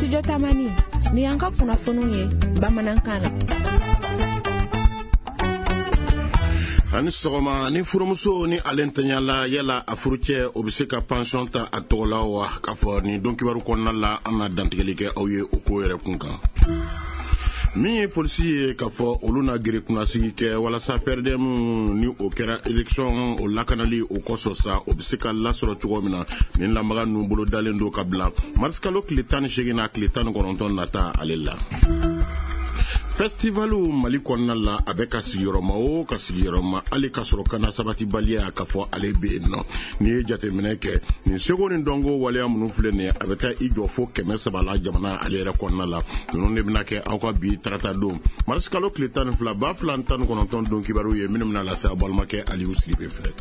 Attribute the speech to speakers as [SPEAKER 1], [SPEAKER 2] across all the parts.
[SPEAKER 1] Studio Tamani, ni y'an ka kunnafoniw ye bamanankan na.
[SPEAKER 2] Ani sɔgɔma. Ni furumuso ni ale ntanyala, yala a furucɛ o bɛ se ka pansɔn ta a tɔgɔ la wa? K'a fɔ nin don kibaru kɔnɔna la, an na dantigɛli kɛ aw ye o ko yɛrɛ kun kan. Min ye polisi ye, k'a fɔ olu na gere kunnasigi kɛ walasa PRDM ni o kɛra élection o lakanali o kɔsɔn sa, o bɛ se ka lasɔrɔ cogo min na. Nin lamaga ninnu bolo dalen don ka bila marisikalo tile 18 n'a tile 19 nata ale la. Festivalu Mali kɔnɔna la, a bɛ ka sigiyɔrɔma o ka sigiyɔrɔma, hali ka sɔrɔ kana sabatibaliya k'a fɔ ale bɛ yen nɔ. N'i ye jateminɛ kɛ, nin seko ni dɔnko waleya minnu filɛ nin ye, a bɛ taa i jɔ fo 300 la jamana ale yɛrɛ kɔnɔna la. Ninnu de bɛna kɛ aw ka bi tarata don marisikalo tile 12 2019 don kibaru ye, minnu bɛna lase aw balimakɛ Aliyu Sidibe fɛ.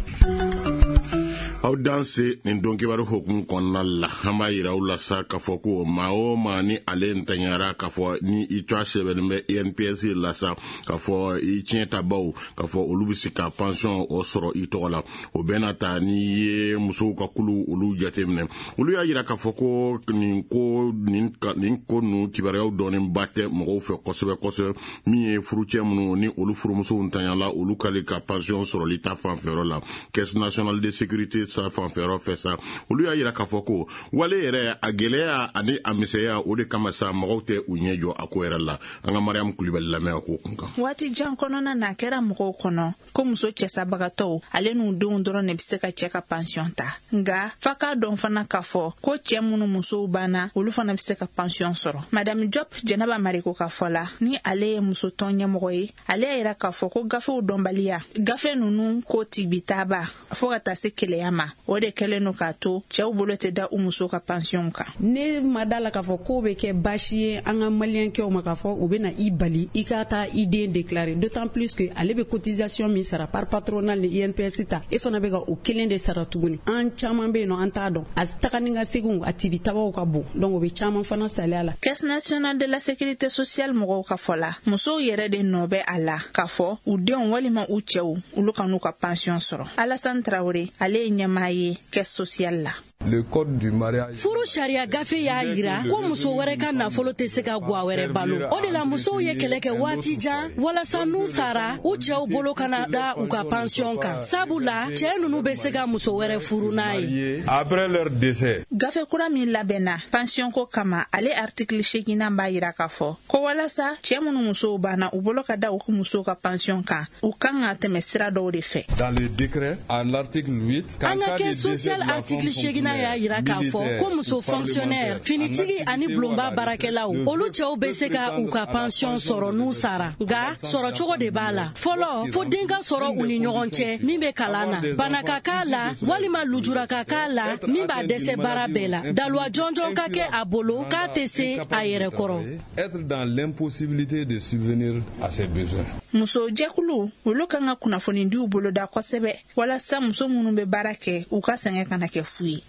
[SPEAKER 2] Aw danse. Nin don kibaru hokumu kɔnɔna la, an b'a yira aw la sa k'a fɔ ko maa o maa ni ale ntanyara, k'a fɔ ni i tɔgɔ sɛbɛnnen bɛ INPS la sa, k'a fɔ i tiɲɛ tabaw, k'a fɔ olu bɛ se ka pansɔn o sɔrɔ i tɔgɔ la. O bɛɛ n'a ta, n'i ye musow ka kulu olu jateminɛ, olu y'a yira k'a fɔ ko nin ko ninnu kibaruyaw dɔɔninba tɛ mɔgɔw fɛ kosɛbɛ kosɛbɛ. Min ye furucɛ minnu ni olu furumusow ntanyala, olu k'ale ka pansɔn sɔrɔli ta fanfɛyɔrɔ la, Caisse nationale de sécurité sa fanfɛyɔrɔ fɛ sa, olu y'a yira k'a fɔ ko wale yɛrɛ a gɛlɛya ani a misɛnya, o de kama sa mɔgɔw tɛ u ɲɛ jɔ a ko yɛrɛ la. An ka Mariam Kulibali lamɛn a ko kun kan.
[SPEAKER 3] Waati jan kɔnɔna na, a kɛra mɔgɔw kɔnɔ ko muso cɛsabagatɔw ale n'u denw dɔrɔn de bɛ se ka cɛ ka pansiyɔn ta. Nga fa k'a dɔn fana k'a fɔ ko cɛɛ minnu musow banna, olu fana bɛ se ka pansiyɔn sɔrɔ. Madame Jɔp Jɛnɛba Mariko ka fɔ la, ni ale ye musotɔn ɲɛmɔgɔ ye, ale y'a yira k'a fɔ ko gafew dɔnbaliya, gafe ninnu ko tibitaba fɔɔ ka taa se keleya ma, o de kɛlen no k'a to cɛw bolo tɛ da u musow ka pansiyɔnw kan.
[SPEAKER 4] Ne ma da la k'a fɔ k'o bɛ kɛ baasi ye an ka maliyɛnkɛw ma, k'a fɔ u bɛ na i bali i ka taa i den déclarer, d'autant plus que ale bɛ cotisation min sara par patronal ni INPS ta, e fana bɛ ka o kelen de sara tuguni. An caman bɛ yen nɔ, an t'a dɔn, a taga ni ka seginw a tibitabaw ka bon, donc o bɛ caman fana saliya la.
[SPEAKER 3] Caisse nationale de la sécurité sociale mɔgɔw ka fɔ la, musow yɛrɛ de nɔ bɛ a la k'a fɔ u denw walima u cɛw olu ka n'u ka pansiyɔn sɔrɔ. Alassane Traoré, ale ye ɲɛmaa ye caisse sociale la.
[SPEAKER 5] Le code du mariage.
[SPEAKER 6] Furu sariya gafe y'a yira ko muso wɛrɛ ka nafolo tɛ se ka gwa wɛrɛ balo. O de la musow ye kɛlɛ kɛ waati jan walasa n'u sara, u cɛw bolo kana da u ka pansiyɔn kan, sabu la cɛɛ nunu bɛ se ka muso wɛrɛ furu n'a ye.
[SPEAKER 5] Après leur décès.
[SPEAKER 3] Gafe kura min labɛnna pansiyɔn ko kama, ale artikili seginnan b'a yira k'a fɔ ko walasa cɛɛ minnu musow banna, u bolo ka da u ka musow ka pansiyɔn kan, u kan ka tɛmɛ sira dɔw de fɛ.
[SPEAKER 5] Dans le décret, à l'article 8,
[SPEAKER 6] An ka caisse sociale artikili seginna y'a yira k'a fɔ ko muso fonctionnaire, finitigi ani bulonba baarakɛlaw, olu cɛw bɛ se ka u ka pansiyɔn sɔrɔ n'u sara. Nka sɔrɔcogo de b'a la. Fɔlɔ, fo den ka sɔrɔ u ni ɲɔgɔn cɛ min bɛ kalan na, bana ka k'a la walima lujura ka k'a la min b'a dɛsɛ baara bɛɛ la, daluwa jɔnjɔn ka kɛ a bolo k'a tɛ se a yɛrɛ kɔrɔ.
[SPEAKER 5] Être dans l'impossibilité de subvenir à ses besoins.
[SPEAKER 3] Muso jɛkulu olu kan ka kunnafonidiw boloda kosɛbɛ walasa muso minnu bɛ baara kɛ, u ka sɛgɛn kana kɛ fu ye.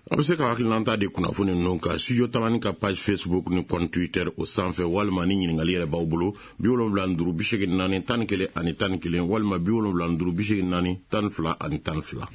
[SPEAKER 2] A bɛ se ka hakilinata di kunnafoni ninnu kan Studio Tamani ka page Facebook ni compte Twitter o sanfɛ, walima ni ɲininkali yɛrɛ b'aw bolo, 75 84 11 ani 11, walima 75 84 12 ani 12.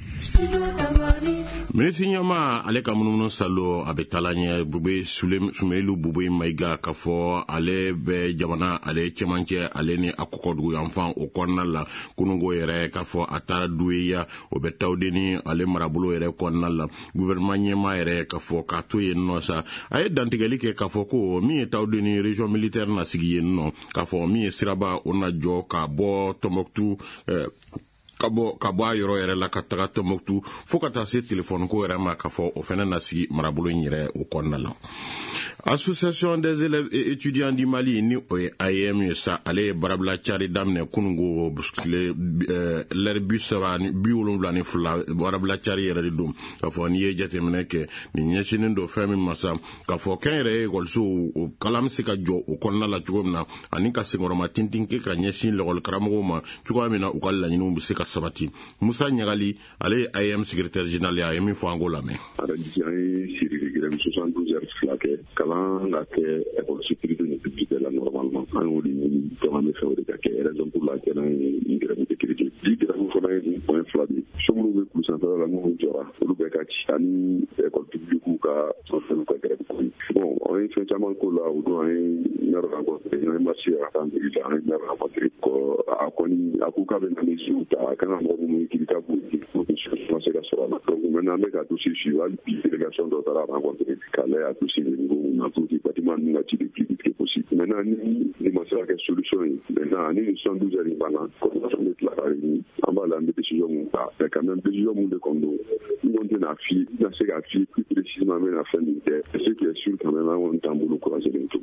[SPEAKER 2] Minisiri ɲɛma ale ka munumunu salo a bɛ taala ɲɛ. Bube Sumeyilu Bube Mayiga, k'a fɔ ale bɛ jamana ale cɛmancɛ ale ni a kɔkɔdugu yanfan o kɔnɔna la. Kununko yɛrɛ, k'a fɔ a taara Duweya, o bɛ Tawudeni ale marabolo yɛrɛ kɔnɔna la. Gouvernement ɲɛma yɛrɛ, k'a fɔ k'a to yen nɔ sa, a ye dantigɛli kɛ k'a fɔ ko min ye Tawudeni région militaire na sigi yen nɔ, k'a fɔ min ye siraba o na jɔ ka bɔ Tɔnbɔkutu, ka bɔ a yɔrɔ yɛrɛ la ka taga Tɔnbɔkutu, fo ka taa se telefɔni ko yɛrɛ ma, k'a fɔ o fɛnɛ na sigi marabolo in yɛrɛ o kɔnɔna la. Association des élèves et étudiants du Mali, ni o ye AEM ye sa, ale ye baarabila cari daminɛ kunungo tile lɛri 72. Baarabila cari yɛrɛ de don, k'a fɔ n'i ye jateminɛ kɛ, nin ɲɛsinnen don fɛn min ma sa, k'a fɔ kɛnyɛrɛye ekɔlisow o kalan bɛ se ka jɔ o kɔnɔna la cogo min na, ani ka senkɔrɔma tintin kɛ ka ɲɛsin lɔgɔli karamɔgɔw ma cogoya min na, u ka laɲiniw bɛ se ka sabati. Musa Ɲagali, ale ye AEM secrétaire général ye, a ye min fɔ, an k'o lamɛn.
[SPEAKER 7] An ye série de grève 72 heures fila kɛ, kalan ka kɛ école sécurité ni publique la normalement. An y'o de ɲini, donc an bɛ fɛ o de ka kɛ, raison pour laquelle an ye nin grève décrété. Bi grève fana ye nin point fila de ye. So minnu bɛ kulu sanfɛla la minnu jɔra, olu bɛɛ ka ci, ani école publique ka fonctionnaire ka grève ko. Bon, an ye fɛn caman k'o la. O don, an ye maire rencontré, an ye marche ka taa mairie la, an ye maire rencontré. A kɔni a ko k'a bɛ na mesure ta, a kan ka mɔgɔ minnu kiiri k'a b'u pour que solution se ka sɔrɔ a la. Donc maintenant, an bɛ ka dossier suivre. Hali bi, délégation dɔ taara rencontrer k'a lajɛ a dossier bɛ niveau mun na pour que bâtiment ninnu ka ci le plus vite que possible. Maintenant, ni nin ma se ka kɛ solution ye, maintenant ni nin 72 heures in banna, coordination bɛ tila ka réunir, an b'a la, an bɛ décision mun ta. Mais quand même, décision mun de kɔni don, n kɔni tɛna f'i ye, n tɛna se k'a f'i ye plus précisément n bɛna fɛn min kɛ. Ce qui est sûr quand même, an kɔni t'an bolo croiser to.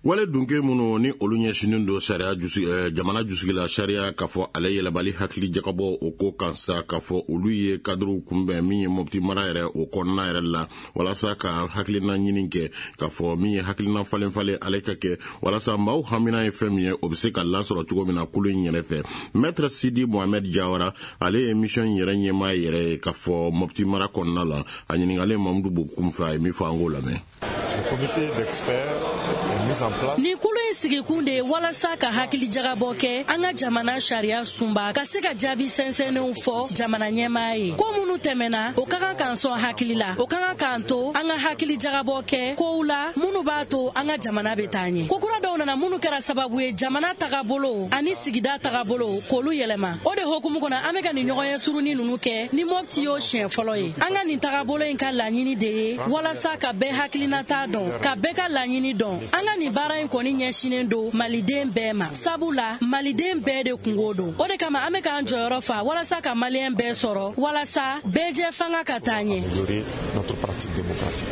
[SPEAKER 2] Wale dunke minnu ni olu ɲɛsinnen don sariya jusi, jamana jusigi la sariya, k'a fɔ ale yɛlɛbali hakili jagabɔ o ko kan sa, k'a fɔ olu ye kadiriw kunbɛn min ye Mɔpti mara yɛrɛ o kɔnɔna yɛrɛ la, walasa ka hakilina ɲini kɛ, k'a fɔ min ye hakilina falen falen ale ka kɛ, walasa maaw hamina ye fɛn min ye, o bɛ se ka lasɔrɔ cogo min na kulu in yɛrɛ fɛ. Maître Sidi Mohamed Jawara, ale ye mission yɛrɛ ɲɛmaa yɛrɛ ye, k'a fɔ Mɔpti mara kɔnɔna la, a ɲininkalen Mamudu Bokum fɛ, a ye min fɔ, an k'o lamɛn.
[SPEAKER 8] Le comité d'experts est mis en place.
[SPEAKER 6] Nin kulu in sigikun de ye walasa ka hakili jagabɔ kɛ an ka jamana sariya sunba ka se ka jaabi sɛnsɛnnenw fɔ jamana ɲɛmaa ye. Ko minnu tɛmɛna, o ka kan k'an sɔn hakili la, o ka kan k'an to an ka hakili jagabɔ kɛ kow la minnu b'a to an ka jamana bɛ taa ɲɛ. Ko kura dɔw nana minnu kɛra sababu ye jamana tagabolo ani sigida tagabolo k'olu yɛlɛma. O de hokumu kɔnɔ, an bɛ ka nin ɲɔgɔnye surunin ninnu kɛ. Ni Mɔpti y'o siɲɛ fɔlɔ ye. An ka nin tagabolo in ka laɲini de ye walasa ka bɛɛ hakilinata dɔn, ka bɛɛ ka laɲini dɔn. An ka nin baara in kɔni ɲɛsinnen don Maliden bɛɛ ma, sabu la Maliden bɛɛ de kungo don. O de kama an bɛ k'an jɔyɔrɔ fa walasa ka Maliyɛn bɛɛ sɔrɔ, walasa bɛɛ jɛ fanga ka taa ɲɛ.
[SPEAKER 8] Améliorer notre pratique démocratique.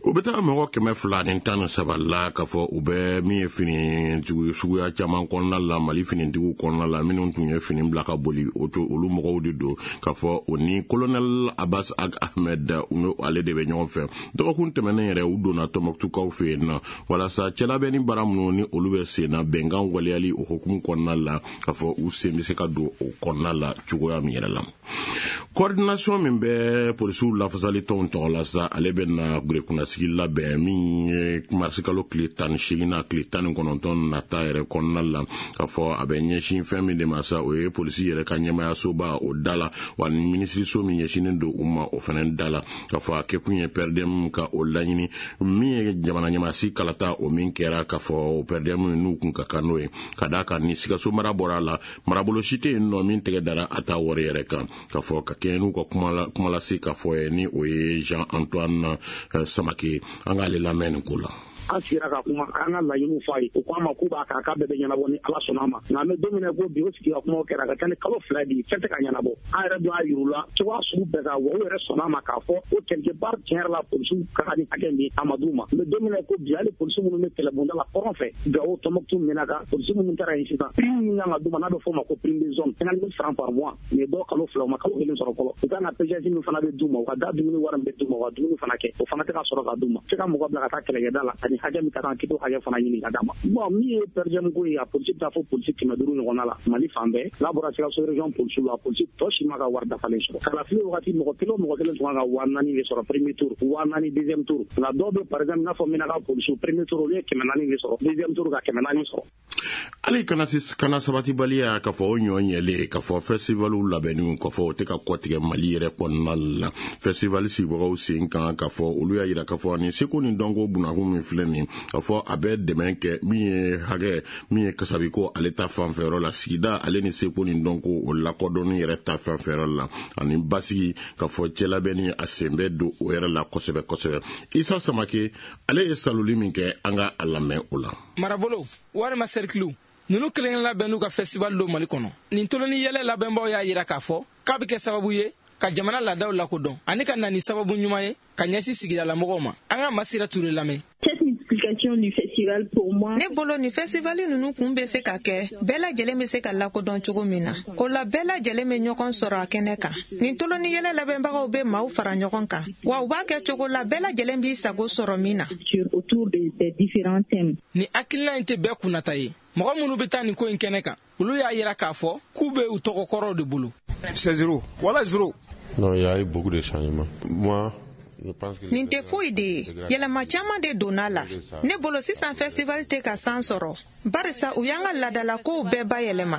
[SPEAKER 2] U bɛ taa mɔgɔ 213 la, k'a fɔ u bɛ min ye finitigi suguya caman kɔnɔna la, Mali finitigiw kɔnɔna la, minnu tun ye fini bila ka boli, o to olu mɔgɔw de don, k'a fɔ o ni colonel Abbas Ag Ahmed, u ni ale de bɛ ɲɔgɔn fɛ. Dɔgɔkun tɛmɛnen yɛrɛ, u donna Tɔnbɔkutukaw fɛ yen nɔ, walasa cɛlabɛnni baara minnu ni olu bɛ sen na, bɛnkan waleyali o hukumu kɔnɔna la, k'a fɔ u sen bɛ se ka don o kɔnɔna la cogoya min yɛrɛ la. Coordination min bɛ polisiw lafasali tɔnw tɔgɔ la sa, ale bɛ na kunnasigi labɛn min ye marisikalo tile 18 na tile 19 nata yɛrɛ kɔnɔna la, k'a fɔ a bɛ ɲɛsin fɛn min de ma sa, o ye polisi yɛrɛ ka ɲɛmayasoba o da la, wa ni minisiriso min ɲɛsinnen don u ma, o fana da la, k'a fɔ a kɛkun ye PRDM ka o laɲini min ye jamana ɲɛmaasi kalata o min kɛra, k'a fɔ o PRDM n'u kun ka kan n'o ye, ka d'a kan ni Sikaso mara bɔra a la, marabolo si tɛ yen nɔ min tɛgɛ dara a ta wari yɛrɛ kan, k'a fɔ ka kɛɲɛ n'u ka kumalase k'a fɔ ye, ni o ye Jean Antoine Samake. An k'ale lamɛn nin ko la.
[SPEAKER 9] An sigira ka kuma an ka laɲiniw fɔ a ye. O ko an ma k'u b'a kan, k'a bɛɛ bɛ ɲɛnabɔ ni Ala sɔnna a ma. Nka an bɛ don min na ko bi, o sigi ka kumaw kɛra, a ka ca ni kalo 2 bi, fɛn tɛ ka ɲɛnabɔ. An yɛrɛ dun y'a yir'u la cogoya sugu bɛɛ kan wa, u yɛrɛ sɔnna a ma k'a fɔ ko quelque part, tiɲɛ yɛrɛ la, polisiw ka kan ni hakɛ min, a ma d'u ma. N bɛ don min na ko bi, hali polisi minnu bɛ kɛlɛbonda la kɔrɔn fɛ, Gawo, Tɔnbɔkutu, Menaka, polisi minnu taara yen sisan, prime min kan ka d'u ma n'a bɛ f'o ma ko prime de zone, 50 000 francs par mois, nin ye dɔw kalo 2, u ma kalo kelen sɔrɔ fɔlɔ. U kan ka péage min fana bɛ d'u ma, u ka da dumuni wari min bɛ d'u ma, u ka dumuni fana kɛ, o fana tɛ ka sɔrɔ ka d'u ma. Se ka mɔgɔ bila ka taa kɛlɛkɛda la ani hakɛ min ka kan k'i t'o hakɛ fana ɲini ka d'a ma. Bon, min ye PERGEM ko ye, a polisi bɛ taa fo polisi 500 ɲɔgɔnna la Mali fan bɛɛ. N'a bɔra Sikaso région polisiw la, polisi tɔ si ma ka wari dafalen sɔrɔ. Kalafili wagati, mɔgɔ kelen o mɔgɔ kelen tun kan ka 4000 de sɔrɔ premier tour, 4000 deuxième tour. Nka dɔw bɛ, par exemple i n'a fɔ Menaka polisiw, premier tour olu ye 400 de sɔrɔ, deuxième tour ka 400 sɔrɔ.
[SPEAKER 2] Hali kana sabatibaliya, k'a fɔ o ɲɔ ɲɛlen, k'a fɔ festivaliw labɛnniw, k'a fɔ o tɛ ka kɔtigɛ Mali yɛrɛ kɔnɔna la. Festival sigibagaw sen kan, k'a fɔ olu y'a yira k'a fɔ nin seko ni dɔnko bunakun min filɛ nin, k'a fɔ a bɛ dɛmɛ kɛ min ye hakɛ min ye kasabiko ale ta fanfɛyɔrɔ la, sigida ale ni seko ni dɔnko o lakodɔnni yɛrɛ ta fanfɛyɔrɔ la, ani basigi, k'a fɔ cɛlabɛnni a sen bɛ don o yɛrɛ la kosɛbɛ kosɛbɛ. Isa Samake, ale ye saloli min kɛ, an ka a lamɛn o la.
[SPEAKER 10] Marabolo walima sɛrikiliw ninnu kelen labɛn n'u ka festival don Mali kɔnɔ, nin toloni yɛlɛ labɛnbaw y'a yira k'a fɔ k'a bɛ kɛ sababu ye ka jamana laadaw lakodɔn ani ka na ni sababu ɲuman ye ka ɲɛsin sigidalamɔgɔw ma. An ka Masira Ture lamɛn.
[SPEAKER 11] Ne bolo, nin fɛsivali ninnu kun bɛ se ka kɛ bɛɛ lajɛlen bɛ se ka lakodɔn cogo min na. O la, bɛɛ lajɛlen bɛ ɲɔgɔn sɔrɔ a kɛnɛ kan. Nin toloni yɛlɛ labɛnbagaw bɛ maaw fara ɲɔgɔn kan wa, u b'a kɛ cogo la bɛɛ lajɛlen b'i sago sɔrɔ min na.
[SPEAKER 10] Nin hakilina in tɛ bɛɛ kunnata ye. Mɔgɔ minnu bɛ taa nin ko in kɛnɛ kan, olu y'a yira k'a fɔ k'u bɛ u tɔgɔkɔrɔw de bolo.
[SPEAKER 12] C'est zéro. Voilà, zéro.
[SPEAKER 2] Non, il y a eu beaucoup de changements. Moi,
[SPEAKER 11] nin tɛ foyi de ye, yɛlɛma caman de donna la. Ne bolo, sisan festival tɛ ka san sɔrɔ, barisa u y'an ka laadalakow bɛɛ bayɛlɛma.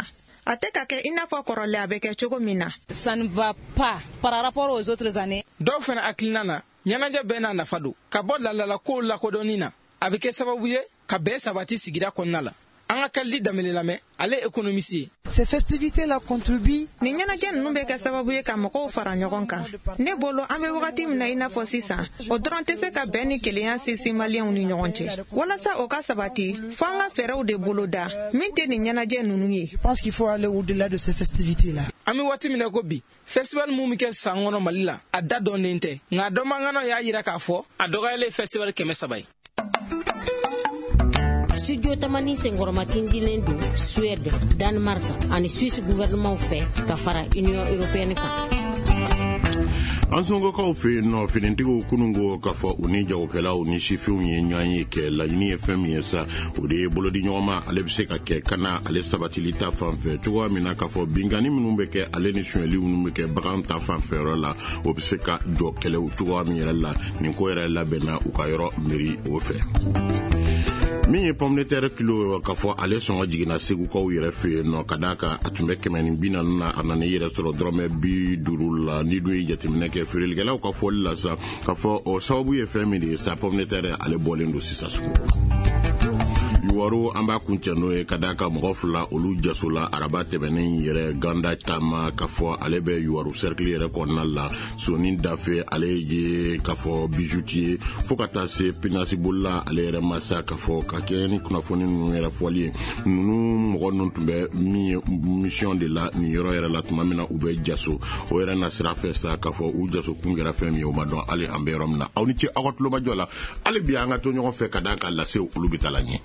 [SPEAKER 11] A tɛ ka kɛ i n'a fɔ kɔrɔlen a bɛ kɛ cogo min na.
[SPEAKER 13] Ça ne va pas par rapport aux autres années.
[SPEAKER 10] Dɔw fana hakilina na, ɲɛnajɛ bɛɛ n'a nafa don. Ka bɔ laadalakow lakodɔnni na, a bɛ kɛ sababu ye ka bɛn sabati sigida kɔnɔna la. An ka Kalidi Danbele lamɛn, ale économiste ye.
[SPEAKER 14] Ces festivités-là contribuent.
[SPEAKER 11] Nin ɲɛnajɛ ninnu bɛ kɛ sababu ye ka mɔgɔw fara ɲɔgɔn kan. Ne bolo, an bɛ wagati min na i n'a fɔ sisan, o dɔrɔn tɛ se ka bɛn ni kelenya sinsin Maliyɛnw ni ɲɔgɔn cɛ. Walasa o ka sabati, fo an ka fɛɛrɛw de boloda min tɛ nin ɲɛnajɛ ninnu ye.
[SPEAKER 14] Je pense qu'il faut aller au-delà de ces festivités-là.
[SPEAKER 10] An bɛ waati min na ko bi, festival mun bɛ kɛ san kɔnɔ Mali la, a da dɔnnen tɛ, nka dɔnbaganaw y'a jira k'a fɔ a dɔgɔyalen festival 300 ye.
[SPEAKER 15] Studio Tamani senkɔrɔmatindilen don Suède, Danemark ani Suisse gouvernement fɛ ka fara Union européenne kan.
[SPEAKER 2] An Sɔnkokaw fɛ yen nɔ, finitigiw kununko k'a fɔ u ni jagokɛlaw ni sifinw ye ɲɔgɔn ye kɛ. Laɲini ye fɛn min ye sa, o de ye bolodi ɲɔgɔnma ale bɛ se ka kɛ ka na ale sabatili ta fan fɛ cogoya min na, k'a fɔ binkanni minnu bɛ kɛ ale ni sonyɛli minnu bɛ kɛ bagan ta fan fɛ yɔrɔ la, o bɛ se ka jɔ kɛlɛw cogoya min yɛrɛ la. Nin ko yɛrɛ labɛnna u ka yɔrɔ miiri o fɛ. Min ye pomme de terre kilo, k'a fɔ ale sɔngɔ jiginna Segukaw yɛrɛ fɛ yen nɔ, ka d'a kan a tun bɛ 140 na, a nana i yɛrɛ sɔrɔ dɔrɔmɛ 50 la. Ni dun ye jateminɛ kɛ feerelikɛlaw ka fɔli la sa, k'a fɔ o sababu ye fɛn min de ye sa, pomme de terre ale bɔlen don sisan sugu. Yuwaro, an b'a kuncɛ n'o ye, ka d'a kan mɔgɔ fila olu jasola araba tɛmɛnen yɛrɛ ganda taama, k'a fɔ ale bɛ Yuwaru cercle yɛrɛ kɔnɔna la. Soni Dafe, ale ye k'a fɔ bijoutier, fo ka taa se pinasibolila ale yɛrɛ ma sa, k'a fɔ ka kɛ ni kunnafoni ninnu yɛrɛ fɔli ye. Ninnu mɔgɔ ninnu tun bɛ min ye mission de la nin yɔrɔ yɛrɛ la tuma min na u bɛ jaso, o yɛrɛ na sira fɛ sa, k'a fɔ u jaso kun kɛra fɛn min ye, o ma dɔn hali an bɛ yɔrɔ min na. Aw ni ce aw ka tulomajɔ la. Hali bi an ka to ɲɔgɔn fɛ, ka d'a kan lasew olu bɛ taa la ɲɛ.